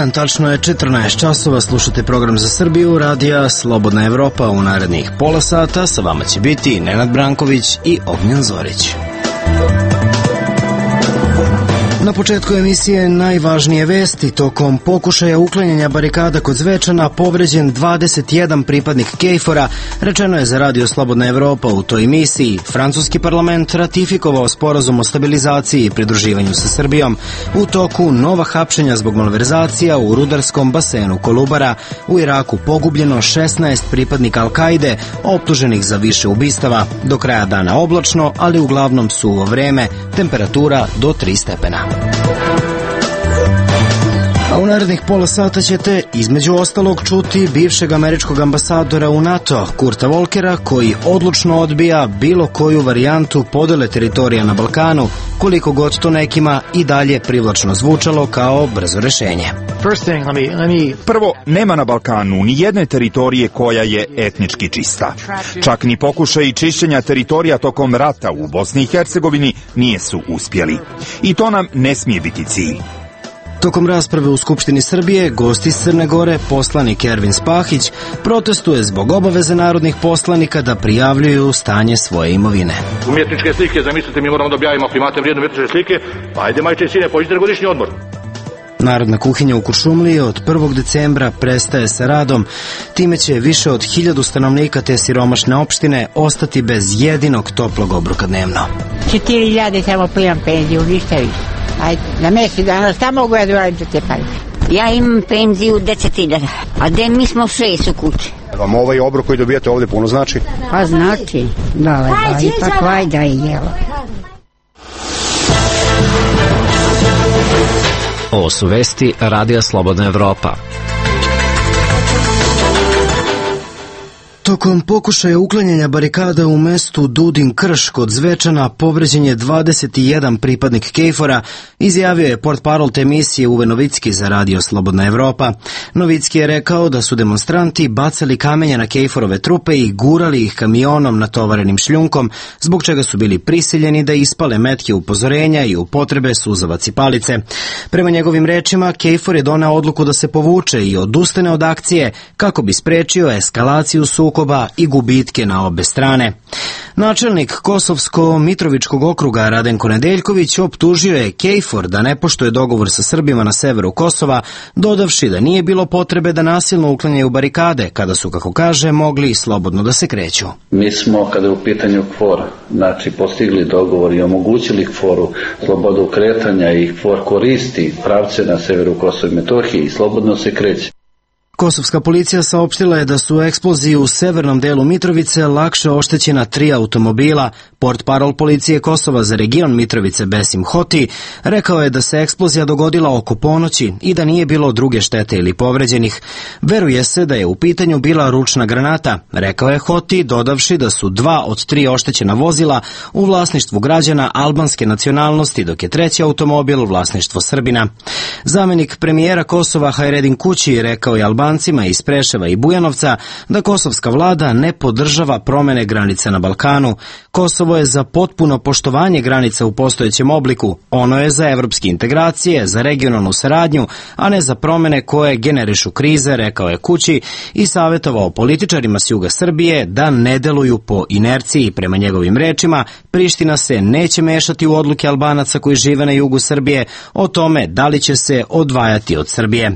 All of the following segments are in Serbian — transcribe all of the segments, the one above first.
dan, tačno je 14 časova, slušate program za Srbiju, radija Slobodna Evropa. U narednih pola sata sa vama će biti Nenad Branković i Ognjen Zorić. Na početku emisije najvažnije vesti. Tokom pokušaja uklanjanja barikada kod Zvečana povređen 21 pripadnik KFOR-a, rečeno je za radio Slobodna Evropa. U toj emisiji francuski parlament ratifikovao sporazum o stabilizaciji i pridruživanju sa Srbijom. U toku nova hapšenja zbog malverzacija u rudarskom basenu Kolubara. U Iraku pogubljeno 16 pripadnika Al-Kaide, optuženih za više ubistava. Do kraja dana oblačno, ali uglavnom suvo vreme, temperatura do 3 stepena. A u narednih pola sata ćete između ostalog čuti bivšeg američkog ambasadora u NATO, Kurta Volkera, koji odlučno odbija bilo koju varijantu podele teritorija na Balkanu, koliko god to nekima i dalje privlačno zvučalo kao brzo rešenje. Prvo, nema na Balkanu ni jedne teritorije koja je etnički čista. Čak ni pokušaj čišćenja teritorija tokom rata u Bosni i Hercegovini nije su uspjeli. I to nam ne smije biti cilj. Tokom rasprave u Skupštini Srbije, gost iz Crne Gore, poslanik Ervin Spahić, protestuje zbog obaveze narodnih poslanika da prijavljuju stanje svoje imovine. Umjetničke slike, zamislite, mi moramo da objavimo, ako imate vrijedne umjetničke slike, pa ajde majče i sine, pođite na godišnji odmor. Narodna kuhinja u Kuršumliji od 1. decembra prestaje sa radom. Time će više od 1000 stanovnika te siromašne opštine ostati bez jedinog toplog obroka dnevno. 4000 samo primam penziju, ništa više. Ajde, na mjesec dana, šta mogu ja da radim za te pare? Ja imam penziju 10.000, a gde mi smo 6 u kući. Vam ovaj obrok koji dobijate ovdje puno znači? Pa znači, da, ipak vajda i jelo. Ovo su vesti radija Slobodna Evropa. Tokom pokušaja uklanjanja barikada u mestu Dudin Krš kod Zvečana povređen je 21 pripadnik KFOR-a, izjavio je portparol te emisije Uwe Novicki za radio Slobodna Evropa. Novicki je rekao da su demonstranti bacali kamenje na KFOR-ove trupe i gurali ih kamionom natovarenim šljunkom, zbog čega su bili prisiljeni da ispale metke upozorenja i upotrebe suzavac i palice. Prema njegovim rečima, KFOR je doneo odluku da se povuče i odustane od akcije kako bi sprečio eskalaciju sukoba i gubitke na obe strane. Načelnik Kosovsko-Mitrovičkog okruga Radenko Nedeljković optužio je KFOR da ne poštuje dogovor sa Srbima na severu Kosova, dodavši da nije bilo potrebe da nasilno uklanjaju barikade, kada su, kako kaže, mogli slobodno da se kreću. Mi smo, kada je u pitanju KFOR, postigli dogovor i omogućili KFOR-u slobodu kretanja i KFOR koristi pravce na severu Kosova i Metohije i slobodno se kreće. Kosovska policija saopštila je da su u eksploziji u severnom delu Mitrovice lakše oštećena 3 automobila. Portparol policije Kosova za region Mitrovice Besim Hoti rekao je da se eksplozija dogodila oko ponoći i da nije bilo druge štete ili povređenih. Veruje se da je u pitanju bila ručna granata, rekao je Hoti, dodavši da su 2 od 3 oštećena vozila u vlasništvu građana albanske nacionalnosti, dok je 3. automobil vlasništvo Srbina. Zamenik premijera Kosova Hajredin Kući rekao je Albancima iz Preševa i Bujanovca da kosovska vlada ne podržava promene granica na Balkanu. Kosovo je za potpuno poštovanje granica u postojećem obliku. Ono je za evropske integracije, za regionalnu saradnju, a ne za promene koje generišu krize, rekao je Kući i savjetovao političarima s juga Srbije da ne deluju po inerciji. Prema njegovim rečima, Priština se neće mešati u odluke Albanaca koji žive na jugu Srbije o tome da li će se odvajati od Srbije.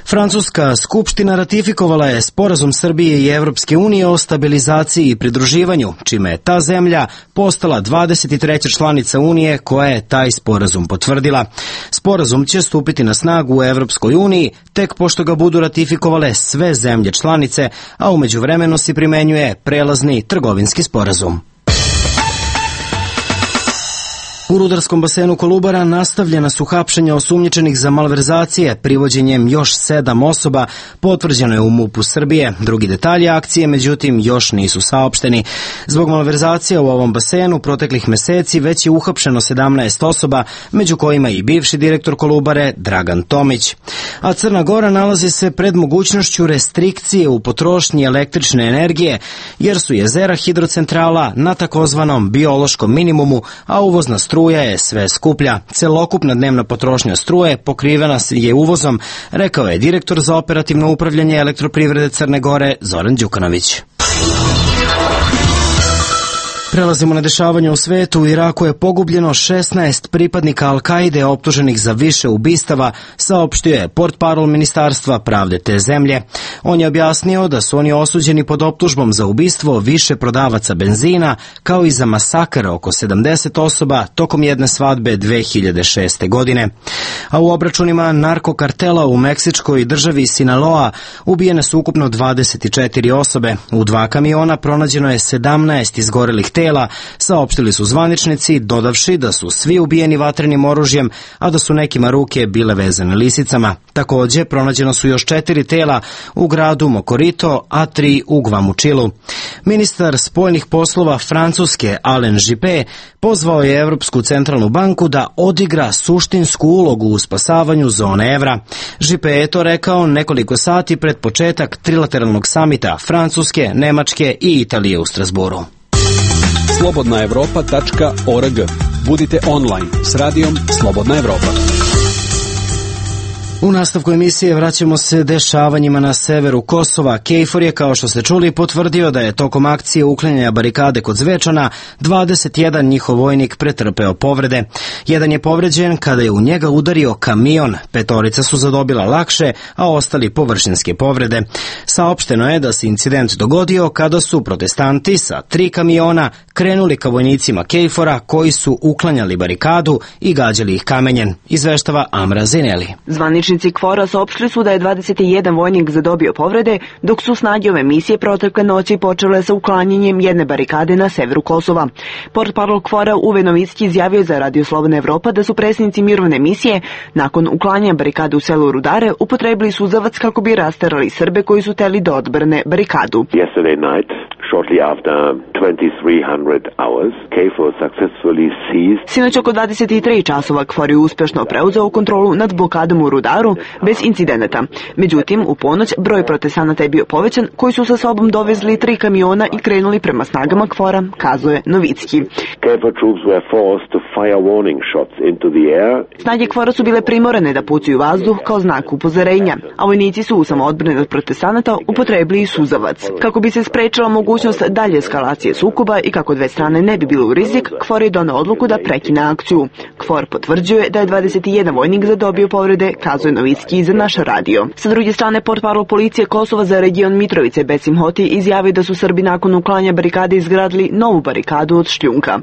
Francuska skupština ratifikovala je sporazum Srbije i Evropske unije o stabilizaciji i pridruživanju, čime je ta zemlja postala 23. članica Unije koja je taj sporazum potvrdila. Sporazum će stupiti na snagu u Evropskoj uniji tek pošto ga budu ratifikovale sve zemlje članice, a u međuvremenu se primenjuje prelazni trgovinski sporazum. U rudarskom basenu Kolubara nastavljena su hapšenja osumnjičenih za malverzacije, privođenjem još 7 osoba, potvrđeno je u MUP-u Srbije. Drugi detalji akcije, međutim, još nisu saopšteni. Zbog malverzacija u ovom basenu proteklih meseci već je uhapšeno 17 osoba, među kojima i bivši direktor Kolubare Dragan Tomić. A Crna Gora nalazi se pred mogućnošću restrikcije u potrošnji električne energije, jer su jezera hidrocentrala na takozvanom biološkom minimumu, a uvozna struja struja je sve skuplja. Celokupna dnevna potrošnja struje pokrivena je uvozom, rekao je direktor za operativno upravljanje Elektroprivrede Crne Gore Zoran Đukanović. Prelazimo na dešavanje u svetu. U Iraku je pogubljeno 16 pripadnika Al-Kaide optuženih za više ubistava, saopštio je portparol Ministarstva pravde te zemlje. On je objasnio da su oni osuđeni pod optužbom za ubistvo više prodavaca benzina, kao i za masakr oko 70 osoba tokom jedne svadbe 2006. godine. A u obračunima narkokartela u meksičkoj državi Sinaloa ubijene su ukupno 24 osobe. U 2 kamiona pronađeno je 17 izgorelih tela, saopštili su zvaničnici, dodavši da su svi ubijeni vatrenim oružjem, a da su nekima ruke bile vezane lisicama. Takođe, pronađeno su još 4 tela u gradu Mokorito, a 3 u Gvamučilu. Ministar spoljnih poslova Francuske Alain Juppé pozvao je Evropsku centralnu banku da odigra suštinsku ulogu u spasavanju zone evra. Juppé je to rekao nekoliko sati pred početak trilateralnog samita Francuske, Nemačke i Italije u Strasburu. slobodnaevropa.org. Budite online s radijom Slobodna Evropa. U nastavku emisije vraćamo se dešavanjima na severu Kosova. KFOR je, kao što ste čuli, potvrdio da je tokom akcije uklanjanja barikade kod Zvečana 21 njihov vojnik pretrpeo povrede. Jedan je povređen kada je u njega udario kamion. 5 su zadobila lakše, a ostali površinske povrede. Saopšteno je da se incident dogodio kada su protestanti sa 3 kamiona krenuli ka vojnicima KFOR-a koji su uklanjali barikadu i gađali ih kamenjem, izveštava Amra Zineli. Zvaničnici KFOR-a saopštili su da je 21 vojnik zadobio povrede, dok su snage ove misije protekle noći počele sa uklanjanjem jedne barikade na severu Kosova. Portparol KFOR-a Uwe Novicki izjavio za Radio Slobodna Evropa da su predsjednici mirovne misije nakon uklanjanja barikade u selu Rudare upotrebili suzavac kako bi rasterali Srbe koji su teli da odbrane barikadu. Shortly after 2300 hours, KFOR successfully seized. Sinoć oko 23 časova KFOR je uspješno preuzeo kontrolu nad blokadom u Rudaru bez incidenata. Međutim, u ponoć broj protestanata je bio povećan, koji su sa sobom dovezli 3 kamiona i krenuli prema snagama KFOR-a, kazuje Novicki. KFOR troops were forced to fire warning shots into the air. Snage KFOR-a su bile primorane da pucaju vazduh kao znak upozorenja, a vojnici su u samoodbrani od protestanata upotrebili suzavac. Kako bi se sprečila mogućnost dalje eskalacije sukoba i kako dve strane ne bi bile u rizik, KFOR je doneo odluku da prekine akciju. KFOR potvrđuje da je 21 vojnik zadobio povrede, kazuje Novicki za naš radio. Sa druge strane, portparol policije Kosova za region Mitrovice Besim Hoti izjavio da su Srbi nakon uklanja barikade izgradili novu barikadu od šljunka.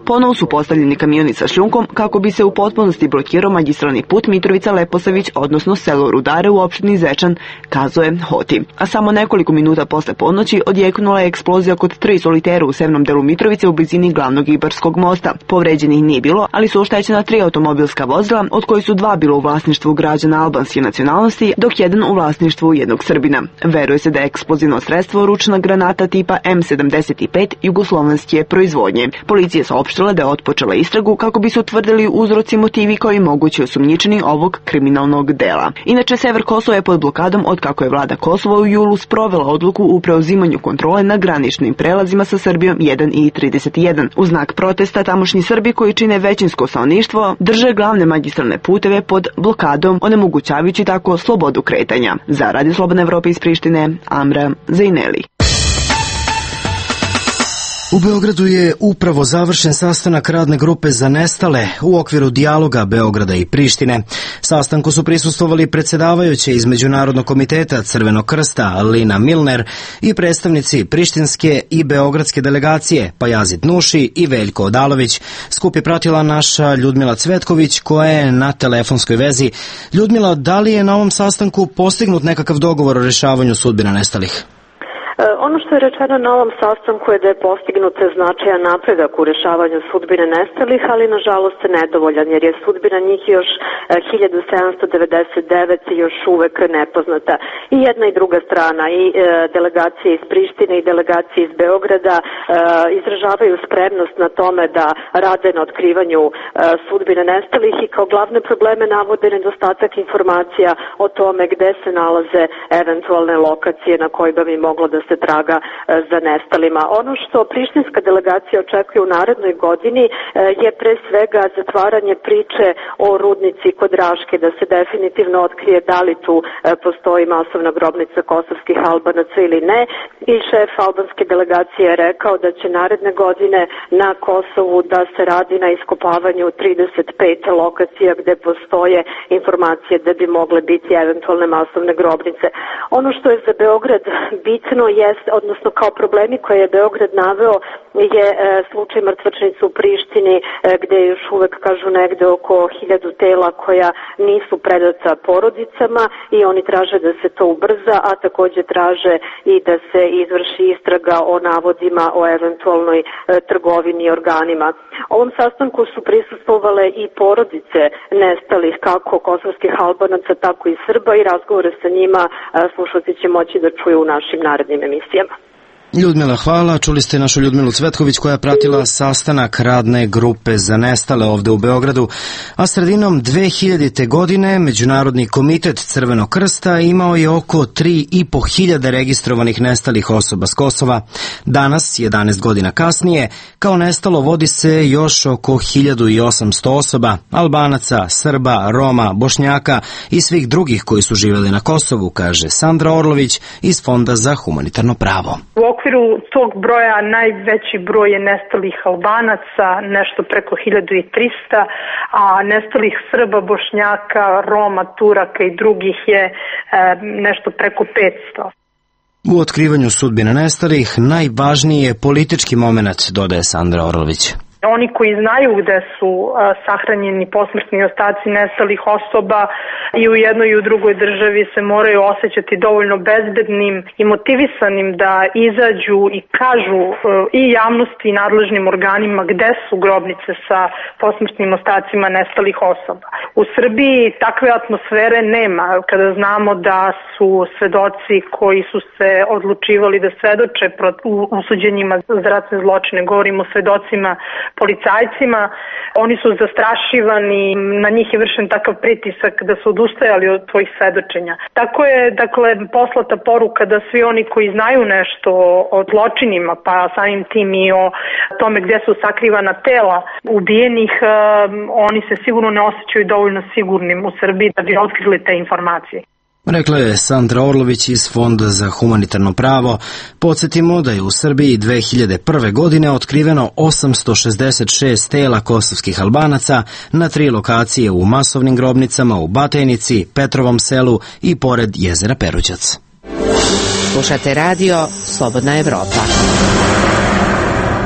Ponovo su postavljeni kamioni sa šljunkom kako bi se u potpunosti blokirao magistralni put Mitrovica-Leposavić, odnosno selo Rudare u opštini Zečan, kazuje Hoti. A samo nekoliko minuta posle ponoći odjeknula je eksplozija kod 3 solitera u severnom delu Mitrovice u blizini glavnog Ibarskog mosta. Povređenih nije bilo, ali su oštećena 3 automobilska vozila, od kojih su 2 bilo u vlasništvu građana albanske nacionalnosti, dok jedan u vlasništvu jednog Srbina. Veruje se da je eksplozivno sredstvo ručna granata tipa M75 jugoslovenske proizvodnje. Policija je saopštila da je otpočela istragu kako bi se utvrdili uzroci, motivi koji mogući osumnjičeni ovog kriminalnog dela. Inače, sever Kosova je pod blokadom od kako je vlada Kosova u julu sprovela odluku u preuzimanju kontrole na graničnim prelazima sa Srbijom 1 i 31. U znak protesta tamošnji Srbi koji čine većinsko stanovništvo drže glavne magistralne puteve pod blokadom, onemogućavajući tako slobodu kretanja. Za Radio Slobodna Evropa iz Prištine, Amra Zajneli. U Beogradu je upravo završen sastanak radne grupe za nestale u okviru dijaloga Beograda i Prištine. Sastanku su prisustvovali predsjedavajuće iz Međunarodnog komiteta Crvenog krsta Lina Milner i predstavnici prištinske i beogradske delegacije Pajazit Nuši i Veljko Odalović. Skup je pratila naša Ljudmila Cvetković koja je na telefonskoj vezi. Ljudmila, da li je na ovom sastanku postignut nekakav dogovor o rješavanju sudbina nestalih? Ono što je rečeno na ovom sastanku je da je postignut značajan napredak u rešavanju sudbine nestalih, ali nažalost nedovoljan, jer je sudbina njih još 1799 još uvek nepoznata. I jedna i druga strana, i delegacije iz Prištine i delegacije iz Beograda izražavaju spremnost na tome da rade na otkrivanju sudbine nestalih i kao glavne probleme navode nedostatak informacija o tome gde se nalaze eventualne lokacije na kojima bi moglo da se traga za nestalima. Ono što prištinska delegacija očekuje u narednoj godini je pre svega zatvaranje priče o rudnici kod Raške, da se definitivno otkrije da li tu postoji masovna grobnica kosovskih Albanaca ili ne. I šef albanske delegacije je rekao da će naredne godine na Kosovu da se radi na iskopavanju 35 lokacija gde postoje informacije da bi mogle biti eventualne masovne grobnice. Ono što je za Beograd bitno jest, odnosno kao problemi koje je Beograd naveo, je slučaj mrtvačnice u Prištini gde još uvek kažu negde oko 1000 tela koja nisu predata porodicama i oni traže da se to ubrza, a takođe traže i da se izvrši istraga o navodima o eventualnoj trgovini organima. Ovom sastanku su prisustvovale i porodice nestalih kako kosovskih Albanaca, tako i Srba i razgovore sa njima slušalci će moći da čuju u našim narednim emisijama. Ljudmila, hvala. Čuli ste našu Ljudmilu Cvetković koja je pratila sastanak radne grupe za nestale ovde u Beogradu, a sredinom 2000. godine Međunarodni komitet Crvenog krsta imao je oko 3.500 registrovanih nestalih osoba s Kosova. Danas, 11 godina kasnije, kao nestalo vodi se još oko 1800 osoba, Albanaca, Srba, Roma, Bošnjaka i svih drugih koji su živjeli na Kosovu, kaže Sandra Orlović iz Fonda za humanitarno pravo. U okviru tog broja najveći broj je nestalih Albanaca, nešto preko 1300, a nestalih Srba, Bošnjaka, Roma, Turaka i drugih je nešto preko 500. U otkrivanju sudbine nestalih najvažniji je politički moment, dodaje Sandra Orlović. Oni koji znaju gde su sahranjeni posmrtni ostaci nestalih osoba i u jednoj i u drugoj državi se moraju osjećati dovoljno bezbednim i motivisanim da izađu i kažu i javnosti i nadležnim organima gde su grobnice sa posmrtnim ostacima nestalih osoba. U Srbiji takve atmosfere nema kada znamo da su svedoci koji su se odlučivali da svedoče u suđenjima za ratne zločine, govorimo o svedocima policajcima, oni su zastrašivani, na njih je vršen takav pritisak da su odustajali od svojih svedočenja. Tako je, poslata poruka da svi oni koji znaju nešto o zločinima, pa samim tim i o tome gdje su sakrivana tela ubijenih, oni se sigurno ne osjećaju dovoljno sigurnim u Srbiji da bi otkrili te informacije. Rekla je Sandra Orlović iz Fonda za humanitarno pravo. Podsjetimo da je u Srbiji 2001. godine otkriveno 866 tela kosovskih Albanaca na 3 lokacije u masovnim grobnicama u Batajnici, Petrovom selu i pored jezera Peruđac. Slušate radio Slobodna Evropa.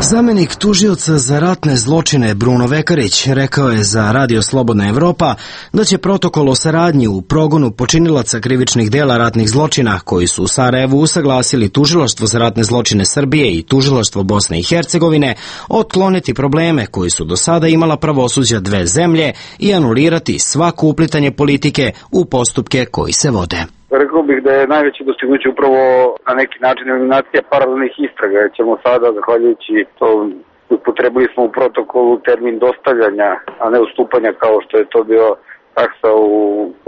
Zamenik tužioca za ratne zločine Bruno Vekarić rekao je za Radio Slobodna Evropa da će protokol o saradnji u progonu počinilaca krivičnih dela ratnih zločina koji su u Sarajevu usaglasili Tužilaštvo za ratne zločine Srbije i Tužilaštvo Bosne i Hercegovine otkloniti probleme koji su do sada imala pravosuđa dve zemlje i anulirati svako uplitanje politike u postupke koji se vode. Rekao bih da je najveće dostignuće upravo na neki način eliminacija paralelnih istraga. Ćemo sada, zahvaljujući to, upotrebili smo u protokolu termin dostavljanja, a ne ustupanja kao što je to bio taksa u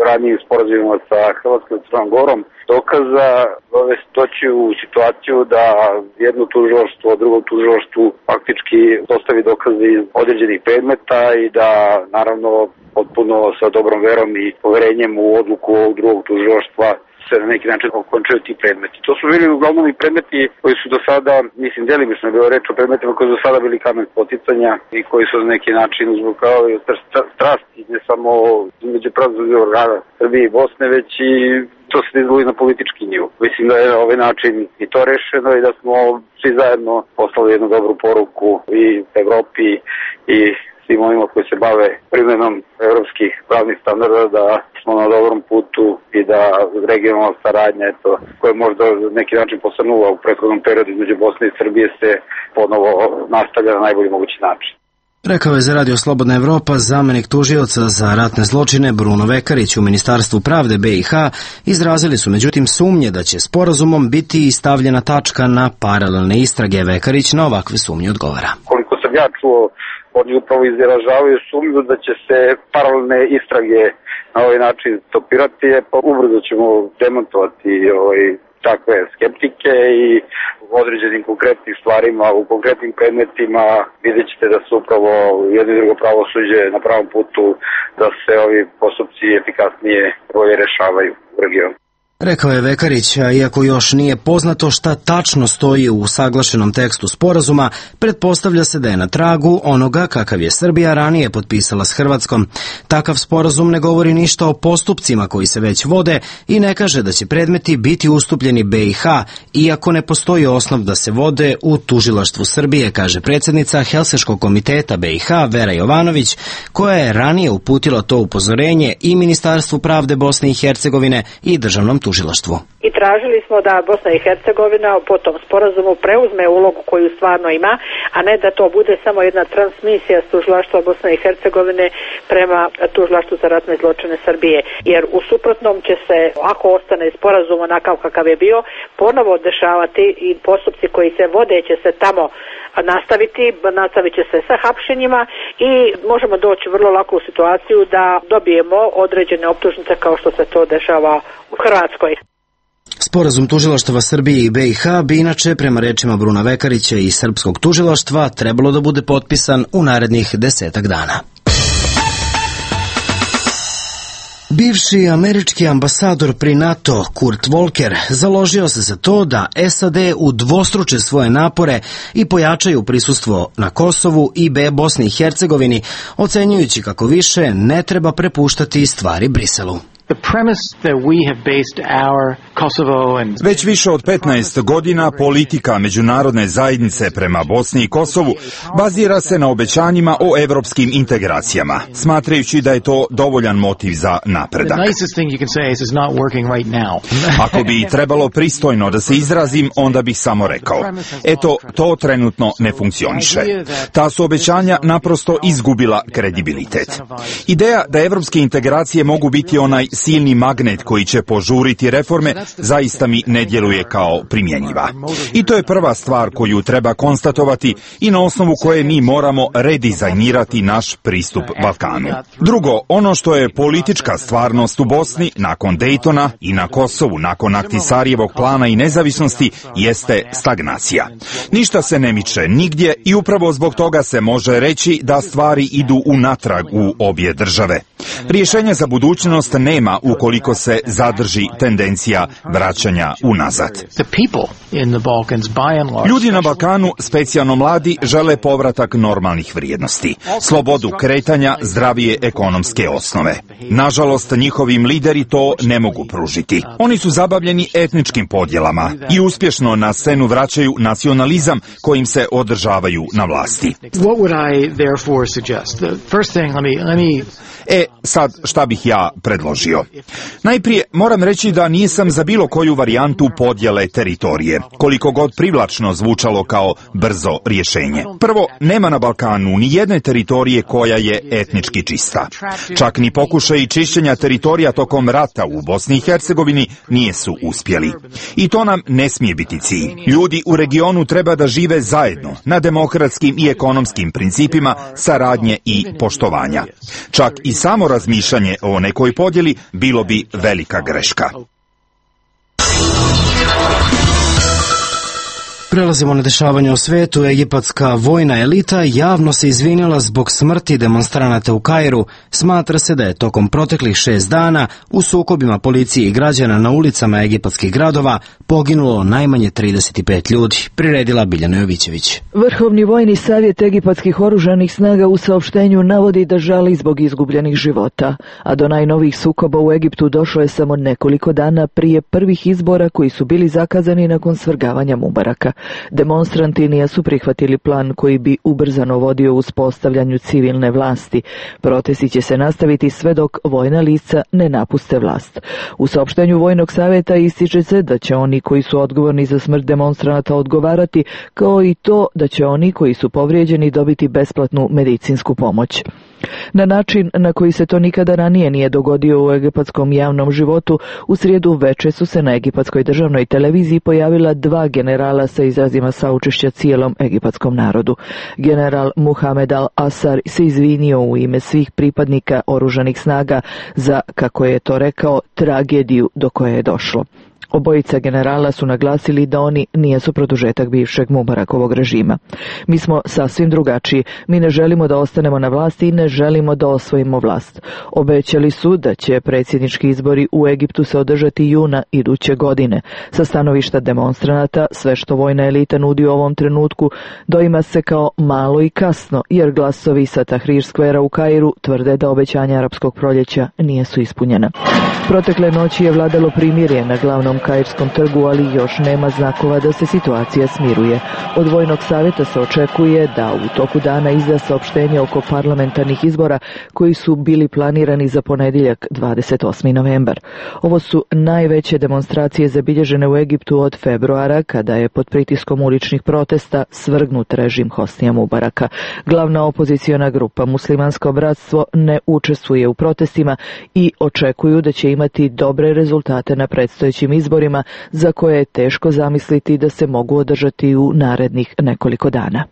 ranijim sporazumima sa Hrvatskom i Crnom Gorom, dokaza doći u situaciju da jedno tužilaštvo drugom tužilaštvu faktički dostavi dokaze iz određenih predmeta i da naravno potpuno sa dobrom verom i poverenjem u odluku ovog drugog tužilaštva se na neki način okončaju ti predmeti. To su bili uglavnom i predmeti koji su do sada, delimično je bilo reč o predmetima koji su do sada bili kamen spoticanja i koji su na neki način uzrokavali strasti, ne samo među pravosudnih organa Srbije i Bosne, već i to se izvoli na politički nivo. Mislim da je na ovaj način i to rešeno i da smo svi zajedno poslali jednu dobru poruku i Evropi i svim onima koji se bave primjenom evropskih pravnih standarda da smo na dobrom putu i da regionalna saradnja, koja je možda na neki način postanula u prethodnom periodu između Bosne i Srbije, se ponovo nastavlja na najbolji mogući način. Rekao je za Radio Slobodna Evropa zamenik tužioca za ratne zločine Bruno Vekarić u Ministarstvu pravde BiH. Izrazili su međutim sumnje da će sporazumom biti stavljena tačka na paralelne istrage. Vekarić na ovakve sumnje odgovara. Koliko sam ja čuo, oni upravo izražavaju sumnju da će se paralelne istrage na ovaj način stopirati, pa ubrzo ćemo demontovati takve skeptike i u određenim konkretnim stvarima, u konkretnim predmetima vidjet ćete da su upravo jedno i drugo pravosuđe na pravom putu da se ovi postupci efikasnije bolje rešavaju u regionu. Rekao je Vekarić, a iako još nije poznato šta tačno stoji u usaglašenom tekstu sporazuma, pretpostavlja se da je na tragu onoga kakav je Srbija ranije potpisala s Hrvatskom. Takav sporazum ne govori ništa o postupcima koji se već vode i ne kaže da će predmeti biti ustupljeni BiH, iako ne postoji osnov da se vode u tužilaštvu Srbije, kaže predsjednica Helsinškog komiteta BiH Vera Jovanović, koja je ranije uputila to upozorenje i Ministarstvu pravde Bosne i Hercegovine i državnom tužilaštvu. I tražili smo da Bosna i Hercegovina po tom sporazumu preuzme ulogu koju stvarno ima, a ne da to bude samo jedna transmisija s tužilaštva Bosne i Hercegovine prema tužilaštvu za ratne zločine Srbije. Jer u suprotnom će se, ako ostane sporazum onakav kakav je bio, ponovo dešavati i postupci koji se vode će se tamo nastavit će se sa hapšenjima i možemo doći vrlo lako u situaciju da dobijemo određene optužnice kao što se to dešava u Hrvatskoj. Sporazum tužilaštava Srbije i BiH bi inače, prema rečima Bruna Vekarića i srpskog tužilaštva, trebalo da bude potpisan u narednih 10 dana. Bivši američki ambasador pri NATO Kurt Volker založio se za to da SAD udvostruče svoje napore i pojačaju prisustvo na Kosovu i Bosni i Hercegovini, ocenjujući kako više ne treba prepuštati stvari Briselu. Već više od 15 godina politika međunarodne zajednice prema Bosni i Kosovu bazira se na obećanjima o evropskim integracijama, smatrajući da je to dovoljan motiv za napredak. Ako bi trebalo pristojno da se izrazim, onda bih samo rekao, eto, to trenutno ne funkcioniše. Ta su obećanja naprosto izgubila kredibilitet. Ideja da evropske integracije mogu biti onaj silni magnet koji će požuriti reforme zaista mi ne djeluje kao primjenjiva. I to je prva stvar koju treba konstatovati i na osnovu koje mi moramo redizajnirati naš pristup Balkanu. Drugo, ono što je politička stvarnost u Bosni nakon Dejtona i na Kosovu nakon Ahtisarijevog plana i nezavisnosti jeste stagnacija. Ništa se ne miče nigdje i upravo zbog toga se može reći da stvari idu unatrag u obje države. Rješenja za budućnost nema ukoliko se zadrži tendencija vraćanja unazad. Ljudi na Balkanu, specijalno mladi, žele povratak normalnih vrijednosti, slobodu kretanja, zdravije ekonomske osnove. Nažalost, njihovi lideri to ne mogu pružiti. Oni su zabavljeni etničkim podjelama i uspješno na scenu vraćaju nacionalizam kojim se održavaju na vlasti. Sad šta bih ja predložio? Najprije moram reći da nisam za bilo koju varijantu podjele teritorije, koliko god privlačno zvučalo kao brzo rješenje. Prvo, nema na Balkanu ni jedne teritorije koja je etnički čista. Čak ni pokušaj čišćenja teritorija tokom rata u Bosni i Hercegovini nije su uspjeli. I to nam ne smije biti cilj. Ljudi u regionu treba da žive zajedno, na demokratskim i ekonomskim principima saradnje i poštovanja. Čak i samo razmišljanje o nekoj podjeli bilo bi velika greška. Prelazimo na dešavanje u svetu. Egipatska vojna elita javno se izvinila zbog smrti demonstranata u Kairu. Smatra se da je tokom proteklih 6 dana u sukobima policije i građana na ulicama egipatskih gradova poginulo najmanje 35 ljudi. Priredila Biljana Jovićević. Vrhovni vojni savjet egipatskih oružanih snaga u saopštenju navodi da žali zbog izgubljenih života, a do najnovijih sukoba u Egiptu došlo je samo nekoliko dana prije prvih izbora koji su bili zakazani nakon svrgavanja Mubaraka. Demonstranti nisu prihvatili plan koji bi ubrzano vodio uspostavljanju civilne vlasti. Protesti će se nastaviti sve dok vojna lica ne napuste vlast. U saopštenju Vojnog savjeta ističe se da će oni koji su odgovorni za smrt demonstranata odgovarati, kao i to da će oni koji su povrijeđeni dobiti besplatnu medicinsku pomoć. Na način na koji se to nikada ranije nije dogodio u egipatskom javnom životu, u srijedu veče su se na egipatskoj državnoj televiziji pojavila 2 generala sa izrazima saučešća cijelom egipatskom narodu. General Muhamed al-Asar se izvinio u ime svih pripadnika oružanih snaga za, kako je to rekao, tragediju do koje je došlo. Obojica generala su naglasili da oni nijesu produžetak bivšeg Mubarakovog režima. Mi smo sasvim drugačiji. Mi ne želimo da ostanemo na vlasti i ne želimo da osvojimo vlast. Obećali su da će predsjednički izbori u Egiptu se održati juna iduće godine. Sa stanovišta demonstranata, sve što vojna elita nudi u ovom trenutku doima se kao malo i kasno, jer glasovi sa Tahrir skvera u Kairu tvrde da obećanja arapskog proljeća nijesu ispunjena. Protekle noći je vladalo primirje na glavnom kairskom trgu, ali još nema znakova da se situacija smiruje. Od Vojnog savjeta se očekuje da u toku dana izda saopštenje oko parlamentarnih izbora koji su bili planirani za ponedjeljak 28. novembar. Ovo su najveće demonstracije zabilježene u Egiptu od februara, kada je pod pritiskom uličnih protesta svrgnut režim Hosnija Mubaraka. Glavna opoziciona grupa Muslimansko bratstvo ne učestvuje u protestima i očekuju da će imati dobre rezultate na predstojećim izborima, za koje je teško zamisliti da se mogu održati u narednih nekoliko dana.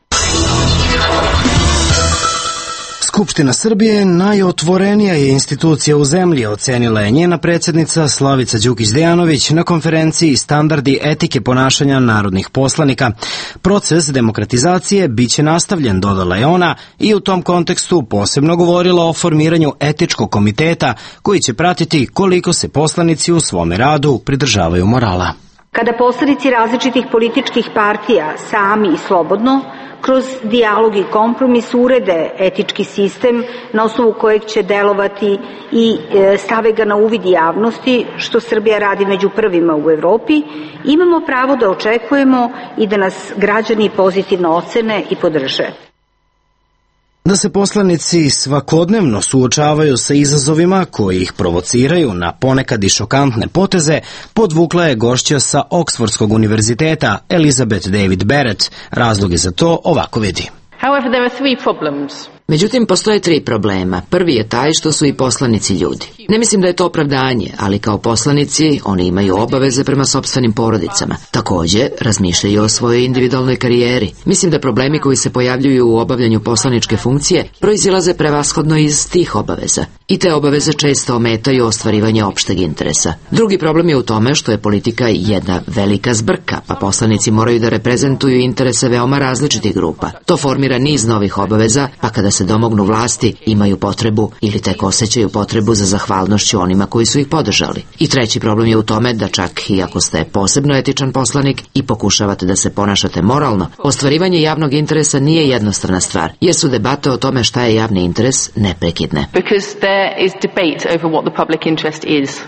Skupština Srbije najotvorenija je institucija u zemlji, ocenila je njena predsjednica Slavica Đukić Dejanović na konferenciji Standardi etike ponašanja narodnih poslanika. Proces demokratizacije biće nastavljen, dodala je ona, i u tom kontekstu posebno govorila o formiranju etičkog komiteta koji će pratiti koliko se poslanici u svome radu pridržavaju morala. Kada poslanici različitih političkih partija sami i slobodno kroz dijalog i kompromis urede etički sistem na osnovu kojeg će delovati i stave ga na uvid javnosti, što Srbija radi među prvima u Evropi, imamo pravo da očekujemo i da nas građani pozitivno ocene i podrže. Da se poslanici svakodnevno suočavaju sa izazovima koji ih provociraju na ponekad i šokantne poteze, podvukla je gošća sa Oksfordskog univerziteta Elizabeth David Barrett. Razloge za to ovako vidi. However, there are three problems. Međutim, postoje 3 problema. Prvi je taj što su i poslanici ljudi. Ne mislim da je to opravdanje, ali kao poslanici oni imaju obaveze prema sopstvenim porodicama. Također, razmišljaju o svojoj individualnoj karijeri. Mislim da problemi koji se pojavljuju u obavljanju poslaničke funkcije proizilaze prevashodno iz tih obaveza. I te obaveze često ometaju ostvarivanje opšteg interesa. Drugi problem je u tome što je politika jedna velika zbrka, pa poslanici moraju da reprezentuju interese veoma različitih grupa. To formira niz novih obaveza, pa kada se domognu vlasti, imaju potrebu ili tek osjećaju potrebu za zahvalnošću onima koji su ih podržali. I treći problem je u tome da čak i ako ste posebno etičan poslanik i pokušavate da se ponašate moralno, ostvarivanje javnog interesa nije jednostrana stvar, jer su debate o tome šta je javni interes neprekidne. Because there is debate over what the public interest is.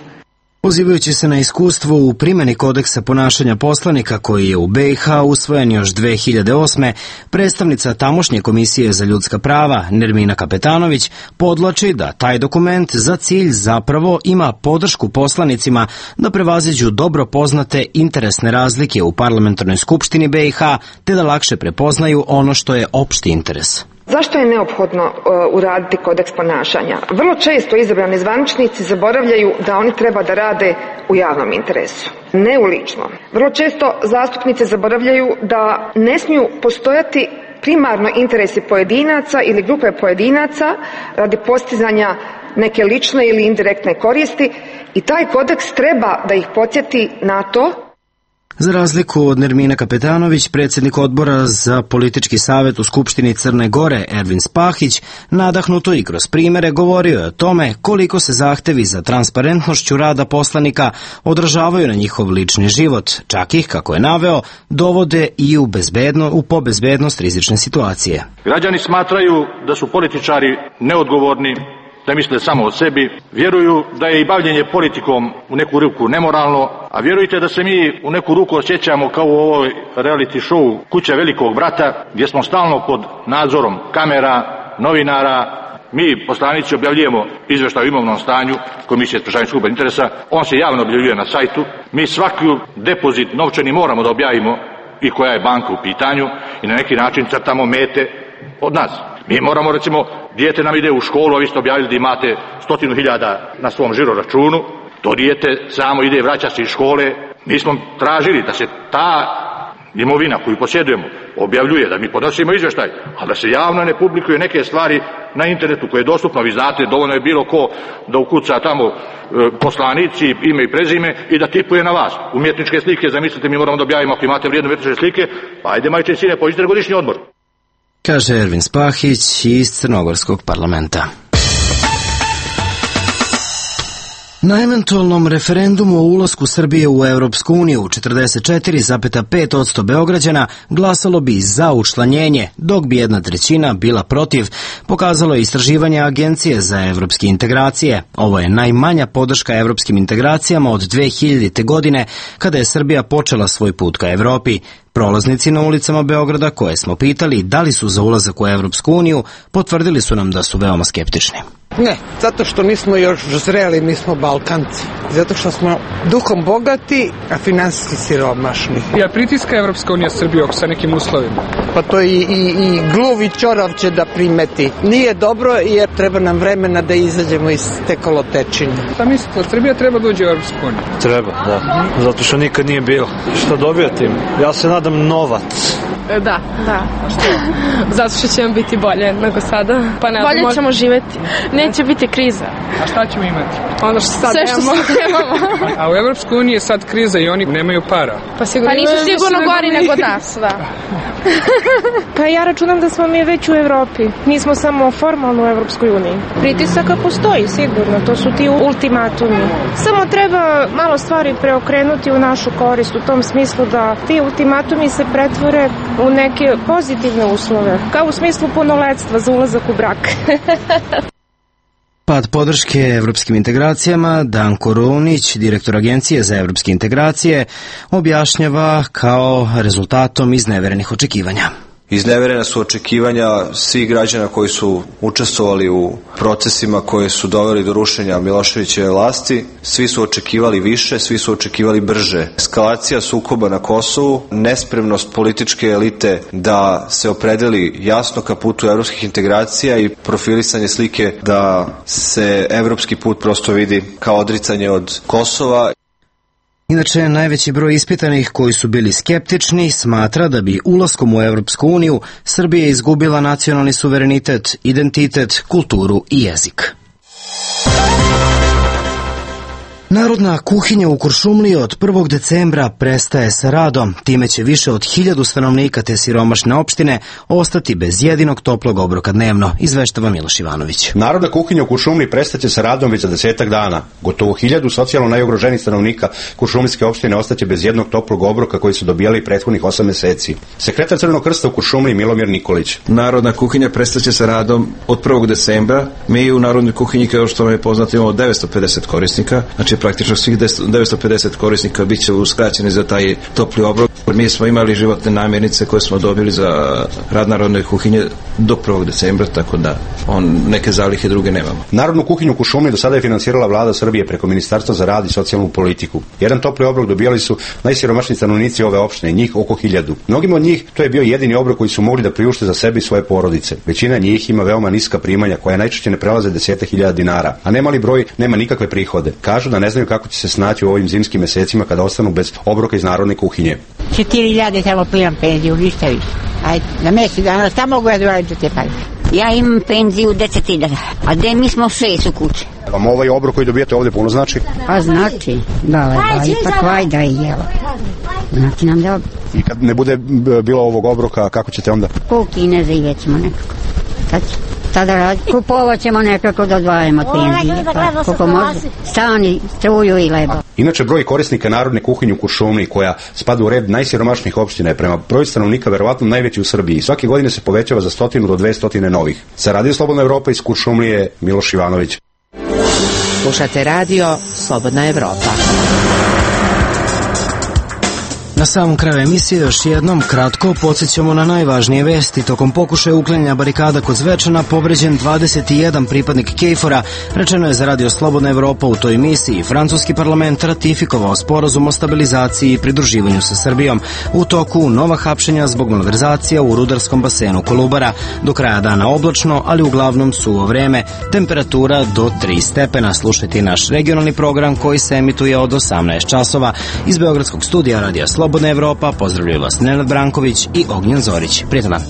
Pozivajući se na iskustvo u primjeni kodeksa ponašanja poslanika koji je u BiH usvojen još 2008. predstavnica tamošnje Komisije za ljudska prava Nermina Kapetanović podvlači da taj dokument za cilj zapravo ima podršku poslanicima da prevaziđu dobro poznate interesne razlike u parlamentarnoj skupštini BiH te da lakše prepoznaju ono što je opšti interes. Zašto je neophodno uraditi kodeks ponašanja? Vrlo često izabrani zvaničnici zaboravljaju da oni treba da rade u javnom interesu, ne u ličnom. Vrlo često zastupnici zaboravljaju da ne smiju postojati primarno interesi pojedinaca ili grupe pojedinaca radi postizanja neke lične ili indirektne koristi i taj kodeks treba da ih podsjeti na to. Za razliku od Nermine Kapetanović, predsjednik odbora za politički savjet u Skupštini Crne Gore, Ervin Spahić, nadahnuto i kroz primere govorio je o tome koliko se zahtevi za transparentnošću rada poslanika odražavaju na njihov lični život, čak ih, kako je naveo, dovode i u pobezbednost rizične situacije. Građani smatraju da su političari neodgovorni, da misle samo o sebi, vjeruju da je i bavljenje politikom u neku ruku nemoralno, a vjerujte da se mi u neku ruku osjećamo kao u ovoj reality show Kuća velikog brata, gdje smo stalno pod nadzorom kamera, novinara. Mi, poslanici, objavljujemo izveštaj o imovnom stanju Komisije sprečavanja sukoba interesa, on se javno objavljuje na sajtu. Mi svaki depozit novčani moramo da objavimo i koja je banka u pitanju i na neki način crtamo mete od nas. Mi moramo, recimo, dijete nam ide u školu, a vi ste objavili da imate 100.000 na svom žiro računu, to dijete samo ide, vraća se iz škole. Mi smo tražili da se ta imovina koju posjedujemo objavljuje, da mi podnosimo izvještaj, a da se javno ne publikuje neke stvari na internetu koje je dostupno, vi znate, dovoljno je bilo ko da ukuca tamo poslanici, ime i prezime i da tipuje na vas. Umjetničke slike, zamislite, mi moramo da objavimo ako imate vrijedne umjetničke slike, pa ajde majče i sine, pođite na godišnji odmor. Kaže Ervin Spahić iz Crnogorskog parlamenta. Na eventualnom referendumu o ulasku Srbije u Evropsku uniju 44,5% Beograđana glasalo bi za učlanjenje, dok bi 1/3 bila protiv, pokazalo je istraživanje Agencije za evropske integracije. Ovo je najmanja podrška evropskim integracijama od 2000. godine, kada je Srbija počela svoj put ka Evropi. Prolaznici na ulicama Beograda, koje smo pitali da li su za ulazak u Evropsku uniju, potvrdili su nam da su veoma skeptični. Ne, zato što nismo još zreli, mi smo Balkanci. Zato što smo duhom bogati, a finansijski siromašni. Ja pritiska Evropska unija Srbiju sa nekim uslovima. Pa to i gluvi ćorav će da primeti. Nije dobro jer treba nam vremena da izađemo iz te kolotečine. Šta mislite, Srbija treba da uđe u Evropsku uniju? Treba, da. Zato što nikad nije bilo. Šta dobija tim? Ja se nadam novac. Da. A što? Zato što će vam biti bolje nego sada. Pa ne, bolje ćemo živeti. Neće biti kriza. A šta ćemo imati? Ono što sad imamo. A u Evropskoj uniji je sad kriza i oni nemaju para. Pa nisu sigurno gori nego nas, da. Pa ja računam da smo mi već u Evropi. Nismo samo formalno u Evropskoj uniji. Pritisaka postoji sigurno, to su ti ultimatumi. Samo treba malo stvari preokrenuti u našu korist, u tom smislu da ti ultimatumi se pretvore u neke pozitivne uslove, kao u smislu punoletstva za ulazak u brak. Pad podrške evropskim integracijama Danko Runić, direktor Agencije za evropske integracije, objašnjava kao rezultatom izneverenih očekivanja. Izneverena su očekivanja svih građana koji su učestvovali u procesima koji su doveli do rušenja Miloševićeve vlasti. Svi su očekivali više, svi su očekivali brže. Eskalacija sukoba na Kosovu, nespremnost političke elite da se opredeli jasno ka putu evropskih integracija i profilisanje slike da se evropski put prosto vidi kao odricanje od Kosova. Inače, najveći broj ispitanih koji su bili skeptični smatra da bi ulaskom u Evropsku uniju Srbija izgubila nacionalni suverenitet, identitet, kulturu i jezik. Narodna kuhinja u Kuršumliji od 1. decembra prestaje sa radom. Time će više od 1000 stanovnika te siromašne opštine ostati bez jedinog toplog obroka dnevno, izveštava Miloš Ivanović. Narodna kuhinja u Kuršumliji prestaće sa radom već za 10 dana. Gotovo 1000 socijalno najugroženih stanovnika Kuršumlijske opštine ostaće bez jednog toplog obroka koji su dobijali prethodnih 8 meseci. Sekretar Crvenog krsta u Kuršumliji Milomir Nikolić. Narodna kuhinja prestaće sa radom od 1. decembra. Mi u Narodnoj kuhinji, kao što vam je poznato, imamo 950 korisnika, znači praktično svih 950 korisnika bit će uskraćeni za taj topli obrok. Mi smo imali životne namirnice koje smo dobili za rad Narodne kuhinje do 1. decembra, tako da neke zalihe druge nemamo. Narodnu kuhinju u Kuršumliji do sada je finansirala vlada Srbije preko Ministarstva za rad i socijalnu politiku. Jedan topli obrok dobijali su najsiromašniji stanovnici ove opštine, njih oko 1000. Mnogima od njih to je bio jedini obrok koji su mogli da priušte za sebe i svoje porodice. Većina njih ima veoma niska primanja koja najčešće ne prelaze 10.000 dinara, a nemali broj nema nikakve prihode. Kažu da ne znaju kako će se snaći u ovim zimskim mesecima kada ostanu bez obroka iz narodne kuhinje. 4.000 samo primam penziju, ništa više. Ajde, na mjesec dana, šta mogu ja doraditi te pare? Ja imam penziju 10.000, a gde mi smo 6 u kući. Vam ovaj obrok koji dobijate ovdje puno znači? Pa znači, da, ipak vajda je jelo. Znači nam da... I kad ne bude bilo ovog obroka, kako ćete onda? Po Kineze i već ćemo nekako. Tada radi. Kupovat ćemo nekako da odvajamo penzije. Pa, koliko može. Stani, struju i lebo. Inače, broj korisnika narodne kuhinje u Kuršumliji, koja spada u red najsiromašnijih opština, je prema broju stanovnika verovatno najveći u Srbiji. Svake godine se povećava za 100 do 200 novih. Sa Radio Slobodna Evropa iz Kuršumlije, Miloš Ivanović. Slušate radio Slobodna Evropa. Na samom kraju emisije još jednom kratko podsjećamo na najvažnije vesti. Tokom pokušaja uklanjanja barikada kod Zvečana povređen 21 pripadnik KFOR-a, rečeno je za Radio Slobodna Evropa. U toj misiji francuski parlament ratifikovao sporazum o stabilizaciji i pridruživanju sa Srbijom. U toku nova hapšenja zbog malverzacija u rudarskom basenu Kolubara. Do kraja dana oblačno, ali uglavnom suvo vreme. Temperatura do 3 stepena. Slušajte naš regionalni program koji se emituje od 18 časova. Iz Beogradskog studija Radio Slobodna Evropa pozdravljaju vas Nenad Branković i Ognjen Zorić. Prijetan dan.